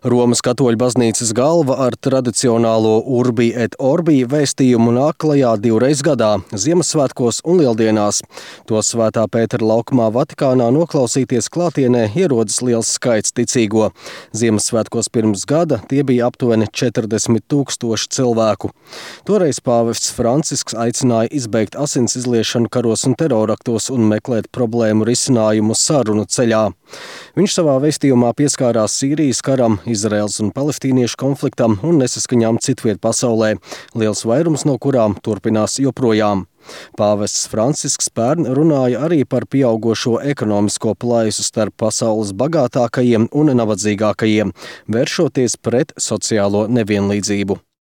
Romas katoļu baznīcas galva ar tradicionālo Urbi et Orbi vēstījumu nāk klajā divreiz gadā – Ziemassvētkos un Lieldienās. To Svētā Pētera laukumā Vatikānā noklausīties klātienē ierodas liels skaits ticīgo. Ziemassvētkos pirms gada tie bija aptuveni 40 000 cilvēku. Toreiz pāvests Francisks aicināja izbeigt asins izliešanu karos un teroraktos un meklēt problēmu risinājumu sarunu ceļā. Viņš savā vēstījumā pieskārās Sīrijas karam, Izraels un palestīniešu konfliktam un nesaskaņām citviet pasaulē, liels vairums no kurām turpinās joprojām. Pāvests Francisks pērn runāja arī par pieaugošo ekonomisko plaisu starp pasaules bagātākajiem un nabadzīgākajiem, vēršoties pret sociālo nevienlīdzību.